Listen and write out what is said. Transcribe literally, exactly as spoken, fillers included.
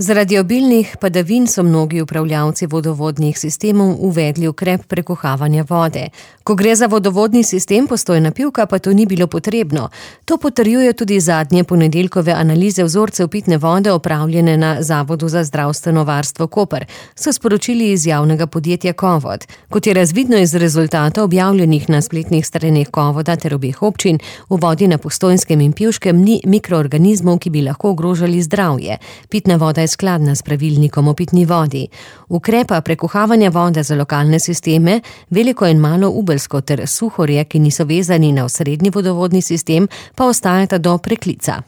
Zaradi obilnih padavin so mnogi upravljavci vodovodnih sistemov uvedli ukrep prekuhavanja vode. Ko gre za vodovodni sistem Postojna Pivka, pa to ni bilo potrebno. To potrjuje tudi zadnje ponedeljkove analize vzorcev pitne vode opravljene na Zavodu za zdravstveno varstvo Koper, so sporočili iz javnega podjetja Kovod. Kot je razvidno iz rezultatov objavljenih na spletnih straneh Kovoda ter obeh občin, v vodi na Postojnskem in Pivškem ni mikroorganizmov, ki bi lahko ogrožali zdravje. Pitna voda je skladna s pravilnikom o pitni vodi. Ukrepa prekuhavanja vode za lokalne sisteme, Veliko in Malo Ubelsko ter Suhorje, ki niso vezani na osrednji vodovodni sistem, pa ostajata do preklica.